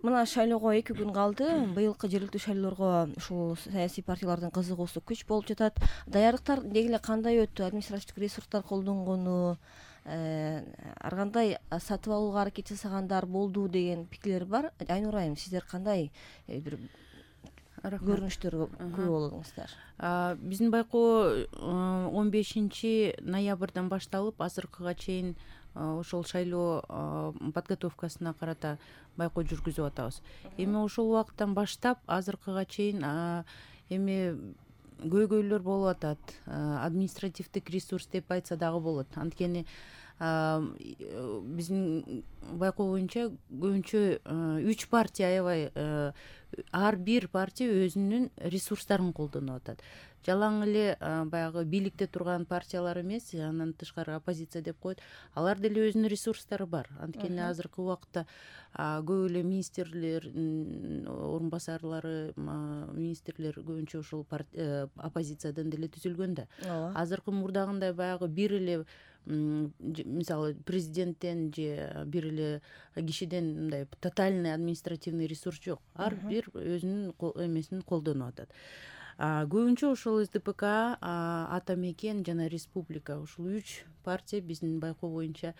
Мына шайлоого 2 күн калды. Быйылкы жергиликтүү шайлоолорго ушул саясий партиялардын кызыгуусу күч болуп жатат. Даярдыктар деги эле кандай өттү? Административдик ресурстар колдонгону, ар кандай сатып алууга аракет жасагандар болду деген пикирлер бар. Айнура айым, сиздер кандай бир көрүнүштөргө күбө болдуңуздар? Биздин байкоо 15 ноябрдан башталып азыркыга чейин ошол шайлоо подготовкасына карата байкоо жүргүзүп атабыз. Эми ошол убакыттан баштап азыркыга чейин эми көйгөйлөр болуп атат. Административдик ресурс деп айтса дагы болот. Анткени биздин байкоо боюнча көбүнчө 3 партия аябай ар бир партия өзүнүн ресурстарын колдонуп атат. Жалаң эле баягы бийликте турган партиялар эмес, андан тышкары оппозиция деп коет. Алар деле өзүнүн ресурстары бар. Анткени азыркы убакта көп эле министрлер, орун басарлары, министрлер көбүнчө ушул оппозициядан деле түзүлгөн да. Азыркы мурдагындай баягы бир эле мисалы президенттен же бир эле кишиден мындай тотальный административный ресурс жок. Ар бир өзүнүн эмесин колдонуп атат. Көбүнчө ошол СДПК, Ата Мекен жана Республика ушул 3 партия биздин байкоо боюнча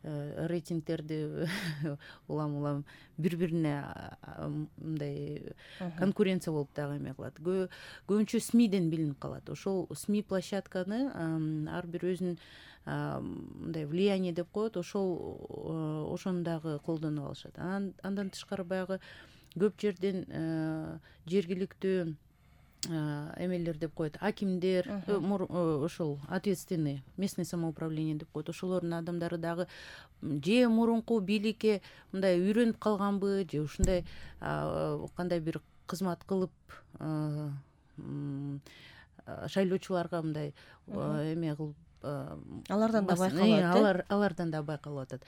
рейтингтерди улам бири-бирине мындай конкуренция болуп дагы эме кылат. Көбүнчө СМИден билинип калат. Ошол СМИ площадканы ар бир өзүнүн мындай влияние деп коет, ошону дагы колдонуп алышат. Андан тышкары баягы көп жерден жергиликтүү эмелер деп коет, акимдер, ошол ответственный местное самоуправление деп коет. Ошолордун адамдары дагы же мурунку бийликке мындай үйрөнүп калганбы, же ушундай кандай бир кызмат кылып шайлоочуларга мындай эме кылып алардан да байкалат. Алардан да байкалып атат.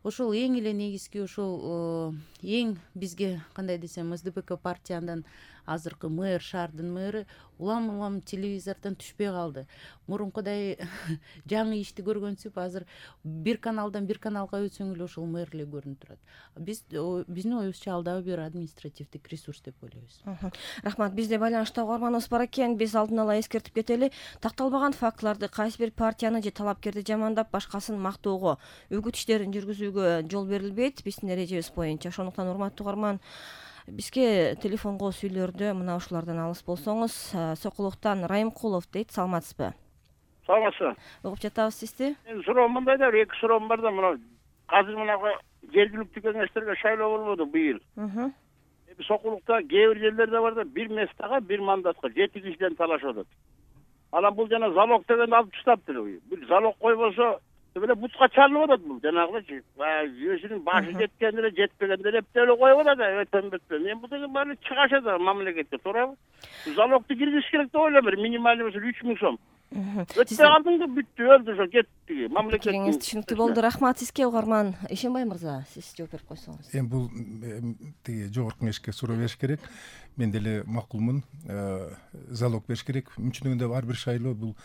Ошол эң эле негизги ошол эң бизге кандай десем СДПК партиянын азыркы мэр, шаардын мэры улам телевизордон түшпөй калды. Мурункудай жаңы ишти көргөнсүп азыр бир каналдан бир каналга өтсөң эле ошол мэр эле көрүнүп турат. Биздин оюбузча ал дагы бир административдик ресурс деп ойлойбуз. Рахмат. Бизде байланышта угарманыбыз бар экен. Биз алдын ала эскертип кетели. Такталбаган фактыларды, кайсы бир партияны же талапкерди жамандап, башкасын мактоого, үгүт иштерин жүргүзүүгө жол берилбейт биздин эрежебиз боюнча. Ошондуктан урматтуу угарман, бизге телефонго сүйлөрдө мына ушулардан алыс болсоңуз. Сокулуктан Райымкулов дейт. Саламатсызбы? Саламатсызбы. Угуп жатабыз сизди. Суроом мындай да, 2 суроом бар да, мына азыр мынага жергиликтүү кеңештерге шайлоо болбоду быйыл. Сокулукта кээ бир жерлерде бар да, бир местага, бир мандатка 7 кишиден талашып атат. Анан бул жана залог дегенди алып таштаптыр. Бир залог койбосо эле бутка чалынып атат бул жанагылычы. Өзүнүн башы жеткен эле, жетпеген эле эптелеп коюп атат, өтөнбөтпөн. Мен бул деген баары чыгаша да мамлекетке, туурабы? Залогду киргизиш керек деп ойлойм, минималдуу болсо 3000 сом. Өтпөй калдыңбы, бүттү, өлдү, ошо кетти. Мамлекет. Кеңеш түшүнүктүү болду. Рахмат сизге угарман. Ишенбай мырза, сиз жооп берип койсоңуз. Эми бул тиги жогорку кеңешке суроо бериш керек. Мен деле макулмун. Залог бериш керек. Мүчүнүгүндө ар бир шайлоо бул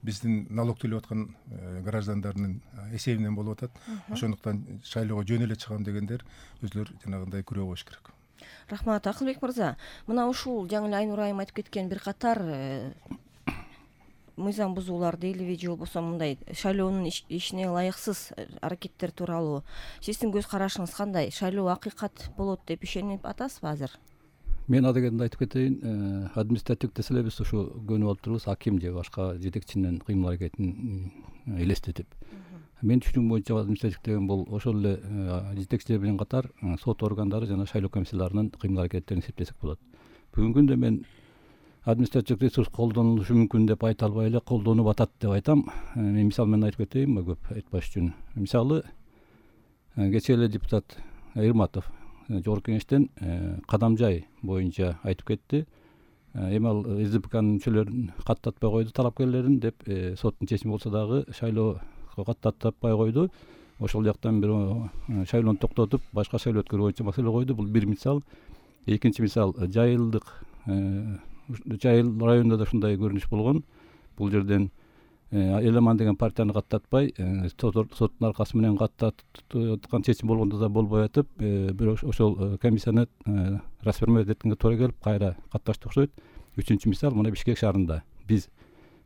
биздин налог төлөп аткан граждандардын эсебинен болуп атат. Ошондуктан шайлоого жөн эле чыгам дегендер өзүлөр жанагындай күрөө коюш керек. Рахмат. Акылбек мырза, мына ушул жаңы эле Айнура айым айтып кеткен бир катар мыйзам бузуулар дейлиби, же болбосо мындай шайлоонун ишине ылайыксыз аракеттер тууралуу сиздин көз карашыңыз кандай? Шайлоо акыйкат болот деп ишенип атасызбы азыр? Мен адегенде айтып кетейин, административдик деле биз ушу көнүп алып турбуз, аким же башка жетекчинин кыймыл аракетин элестетип. Мен түшүнүгүм боюнча административ деген бул ошол эле жетекчилер менен катар сот органдары жана шайлоо комиссияларынын кыймыл аракеттерин эсептесек болот. Бүгүнкү күндө мен административдик ресурс колдонулушу мүмкүн деп айта албай эле колдонуп атат деп айтам. Мен мисал менен айтып кетейин, көп айтпаш үчүн. Мисалы, кечээ эле депутат Ирматов жогорку кеңештен Кадамжай боюнча айтып кетти. Эми ал СДПКнын мүчөлөрүн каттатпай койду, талапкерлерин деп соттун чечими болсо дагы шайлоо каттатпай койду. Ошол жактан бир шайлоону токтотуп, башка шайлоо өткөрүү боюнча маселе койду. Бул бир мисал. Экинчи мисал, Жайыл районунда да ушундай көрүнүш болгон. Бул жерден Элеман деген партияны каттатпай соттун аркасы менен каттаткан чечим болгондо да болбой атып, бирок ошол комиссияны расформировать эткенге туура келип кайра катташты окшойт. Үчүнчү мисал мына Бишкек шаарында биз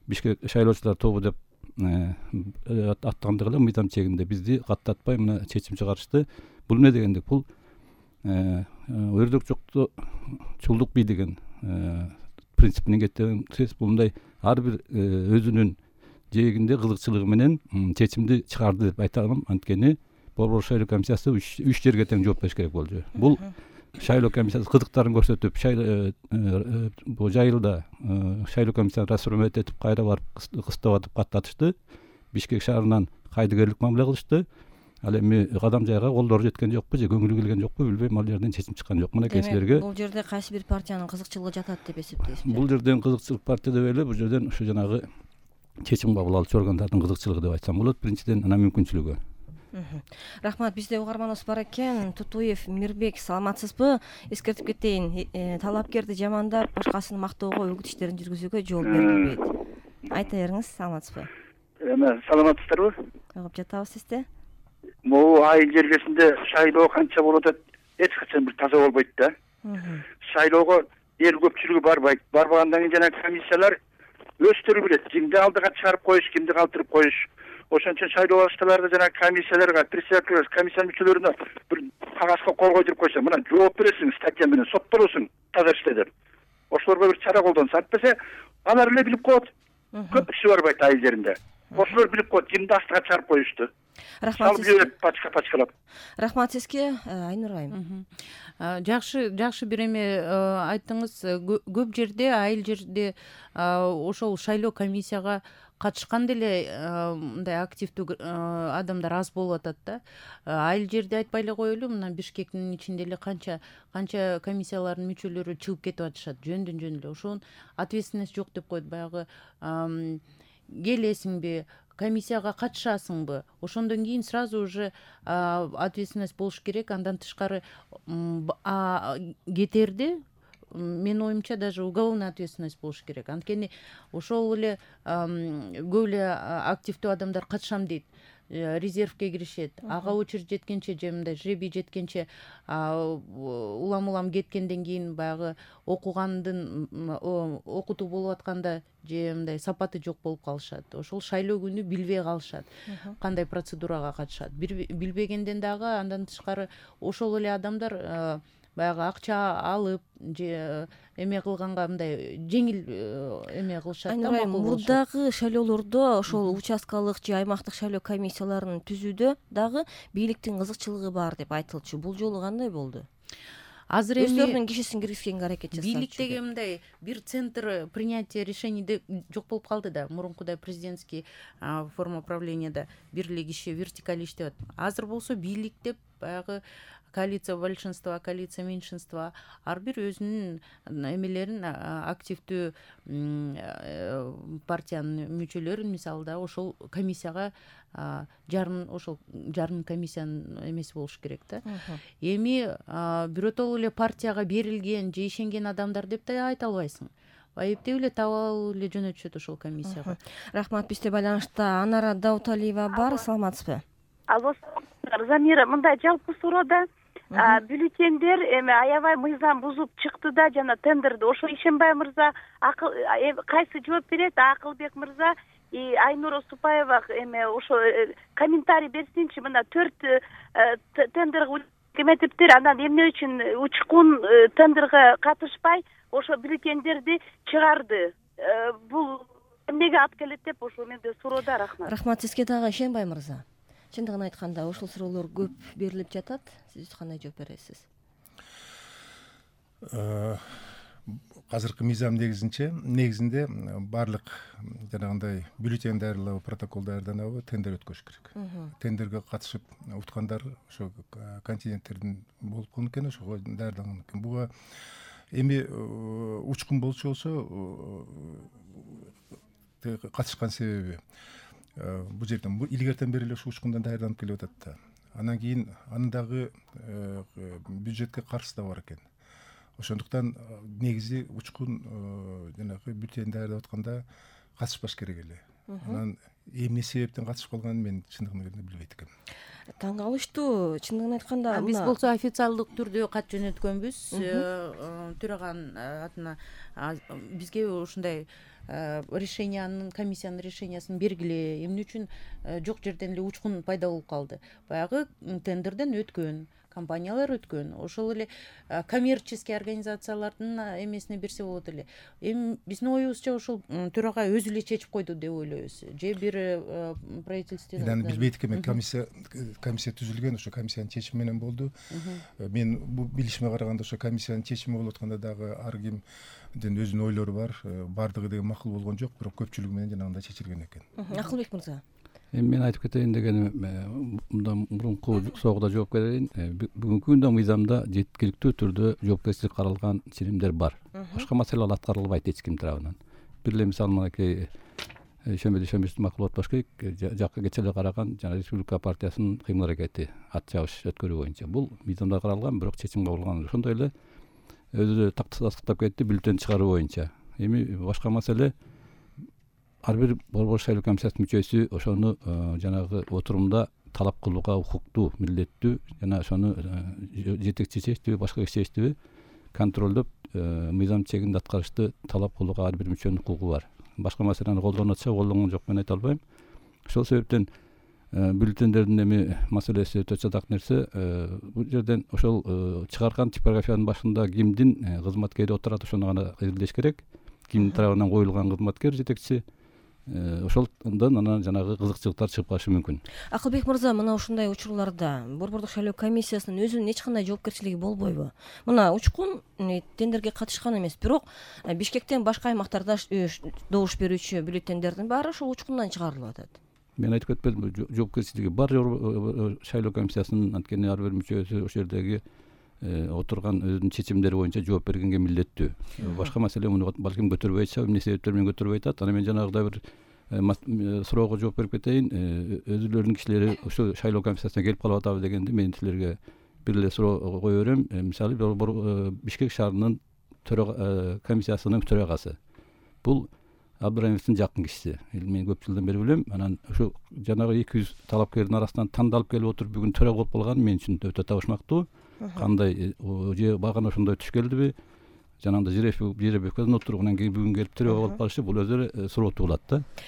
Бишкек шайлоочулар тобу деп аттагандык эле мыйзам чегинде бизди каттатпай мына чечим чыгарышты. Бул эмне дегендик? Бул өрдөкчүлдүк бий деген принципинен кеткен сөз. Бул мындай ар бир өзүнүн жээгинде кызыкчылыгы менен чечимди чыгарды деп айта алам. Анткени Борбор шайлоо комиссиясы 3 жерге тең жооп бериш керек болчу. Бул шайлоо комиссиясы кызыктарын көрсөтүп, бул жайылда шайлоо комиссияны расформировать этип кайра барып кыстап атып каттатышты. Бишкек шаарынан кайдыгерлик мамиле кылышты. Ал эми кадам жайга колдору жеткен жокпу же көңүлү келген жокпу билбейм, ал жерден чечим чыккан жок. Мына силерге бул жерде кайсы бир партиянын кызыкчылыгы жатат деп эсептейсизби? Бул жерден кызыкчылык партия деп эле, бул жерден ушу жанагы чечим кабыл алуучу органдардын кызыкчылыгы деп айтсам болот. Биринчиден анан мүмкүнчүлүгү. Рахмат. Бизде угарманыбыз бар экен. Тутуев Мирбек, саламатсызбы? Эскертип кетейин, талапкерди жамандап, башкасын мактоого өгүт иштерин жүргүзүүгө жол берилбейт. Айта бериңиз, саламатсызбы? Саламатсыздарбы? Угуп жатабыз сизди. Могу айыл жергесинде шайлоо канча болуп атат, эч качан бир таза болбойт да. Шайлоого эл көпчүлүгү барбайт. Барбагандан кийин жана комиссиялар өздөрү билет, кимди алдыга чыгарып коюш, кимди калтырып коюш. Ошон үчүн шайлоо башталарда жана комиссияларга, председатель комиссия мүчөлөрүнө бир кагазга кол койдуруп койсо, мына жооп бересиң, статья менен соттолосуң, таза иште деп. Ошолорго бир чара колдонсо, антпесе алар эле билип коет. Көп киши барбайт айыл жеринде. Ошолор билип коет, кимди астыга чыгарып коюшту. Рахмат сизге. Пачкалап. Рахмат сизге, Айнур айым. Жакшы бир эме айттыңыз. Көп жерде, айыл жерде ошол шайлоо комиссияга катышкан деле мындай активдүү адамдар аз болуп атат да. Айыл жерде айтпай эле коелу, мына Бишкектин ичинде эле канча комиссиялардын мүчөлөрү чыгып кетип атышат жөндөн эле. Ошонун ответственность жок деп коет. Баягы келесиңби, комиссияга катышасыңбы, ошондон кийин сразу уже ответственность болуш керек. Андан тышкары кетерде менин оюмча даже уголовная ответственность болуш керек. Анткени ошол эле көп эле активдүү адамдар катышам дейт, резервке киришет, ага очередь жеткенче же мындай жребий жеткенче улам кеткенден кийин баягы окугандын окутуу болуп атканда же мындай сапаты жок болуп калышат. Ошол шайлоо күнү билбей калышат, кандай процедурага катышат. Билбегенден дагы андан тышкары ошол эле адамдар баягы акча алып же эме кылганга мындай жеңил эме кылышат да. Мурдагы шайлоолордо ошол участкалык же аймактык шайлоо комиссияларын түзүүдө дагы бийликтин кызыкчылыгы бар деп айтылчу. Бул жолу кандай болду? Азыр эми өздөрүнүн кишисин киргизгенге аракет жасап. Бийликтеги мындай бир центр принятия решений жок болуп калды да. Мурункудай президентский форма правлениеда бир эле киши вертикаль иштеп атат. Азыр болсо бийлик деп баягы коалиция большинства, коалиция меньшинства ар бир өзүнүн эмелерин активдүү партиянын мүчөлөрүн мисалы да ошол комиссияга ошол жарым комиссиянын эмеси болуш керек да. Эми биротоло эле партияга берилген же ишенген адамдар деп да айта албайсың. Айыптеп эле таап алып эле жөнөтүшөт ошол комиссияга. Рахмат. Бизде байланышта Анара Дауталиева бар. Саламатсызбы? Алло, Замира, мындай жалпы суроода бюллетендер эми аябай мыйзам бузуп чыкты да, жана тендерди ошо Ишенбай мырза кайсы жооп берет? Акылбек мырза Айнура Супаева эме ошо комментарий берсинчи. Мына 4 тендерге эметиптир, анан эмне үчүн учкун тендерге катышпай ошо бюллетендерди чыгарды? Бул эмнеге алып келет деп ошо менде суроода. Рахмат. Рахмат сизге дагы, Ишенбай мырза. Чындыгын айтканда ошол суроолор көп берилип жатат. Сиз кандай жооп бересиз? Азыркы мыйзам негизинде баардык жанагындай бюллетень даярдалабы, протокол даярданабы тендер өткөрүш керек. Тендерге катышып уткандар ошо контингенттердин болуп калган экен, ошого даярдалган экен. Буга эми учкун болчу болсо катышкан себеби бул жерден илгертен бери эле ушу учкундан даярданып келип атат да. Анан кийин анын дагы бюджетке каржысы да бар экен. Ошондуктан негизи учкун жанагы бюллетень даярдап атканда катышпаш керек эле. анан эмне себептен катышып калганын мен чындыгын айтканда билбейт экенмин. Таң калыштуу, чындыгын айтканда. Биз болсо официалдык түрдө кат жөнөткөнбүз төраган атына. Бизге ушундай комиссиянын решениясын бергиле, эмне үчүн жок жерден эле учкун пайда болуп калды. Баягы тендерден өткөн компаниялар өткөн, ошол эле коммерческий организациялардын эмесине берсе болот эле. Эми биздин оюбузча ошол төрага өзү эле чечип койду деп ойлойбуз. Же бир правительство. Аны билбейт экенмин. Комиссия түзүлгөн, ошо комиссиянын чечими менен болду. Мен бул билишиме караганда ошо комиссиянын чечими болуп атканда дагы ар кимдин өзүнүн ойлору бар. Бардыгы деген макул болгон жок, бирок көпчүлүгү менен жанагындай чечилген экен. Акылбек мырза. Эми мен айтып кетейин дегеним, мындан мурунку соогуда жооп берейин. Бүгүнкү күндө мыйзамда жеткиликтүү түрдө жоопкерчилик каралган ченемдер бар. Башка маселелер аткарылбайт эч ким тарабынан. Бир эле мисалы мынакей ишембиди макулат башкы жакка кече эле караган жана Республика партиясынын кыймыл аракети ат чабыш өткөрүү боюнча бул мыйзамда каралган, бирок чечим кабыл кылган. Ошондой эле өзү тактыктап кетти бюллетень чыгаруу боюнча. Эми башка маселе ар бир борбор шайлоо комиссиясынын мүчөсү ошону жанагы отурумда талап кылууга укуктуу, милдеттүү жана ошону жетекчи чечтиби, башка киши чечтиби контролдоп мыйзам чегинде аткарышты талап кылууга ар бир мүчөнүн укугу бар. Башка маселени колдонотса колдонгон жок, мен айта албайм. Ошол себептен бюллетендердин эми маселеси өтө чатак нерсе. Бул жерден ошол чыгарган типографиянын башында кимдин кызматкери отурат, ошону гана изилдеш керек. Кимдин тарабынан коюлган кызматкер жетекчи, ошолдон анан жанагы кызыкчылыктар чыгып калышы мүмкүн. Акылбек мырза, мына ушундай учурларда борбордук шайлоо комиссиясынын өзүнүн эч кандай жоопкерчилиги болбойбу? Мына учкун тендерге катышкан эмес, бирок Бишкектен башка аймактарда добуш берүүчү бюллетендердин баары ошол учкундан чыгарылып атат. Мен айтып кетпедимби, жоопкерчилиги бар шайлоо комиссиясынын, анткени ар бир мүчөсү ошол жердеги отурган өзүнүн чечимдери боюнча жооп бергенге милдеттүү. Башка маселе муну балким көтөрбөй атышат, эмне себептер менен көтөрбөй атат. Анан мен жанагыдай бир суроого жооп берип кетейин. Өзүлөрүнүн кишилери ошо шайлоо комиссиясына келип калып атабы дегенде мен силерге бир эле суроо кое берем. Мисалы Бишкек шаарынын комиссиясынын төрагасы. Бул Абдыраимовдун жакын кишиси. Мен көп жылдан бери билем. Анан ошо жанагы 200 талапкердин арасынан тандалып келип отуруп бүгүн төрага болуп калганы мен үчүн өтө табышмактуу. Кандай же багана ошондой түш келдиби? Жанагындай Жеребековдон отуруп анан кийин бүгүн келип төрага болуп калышы бул өзү эле суроо туулат да.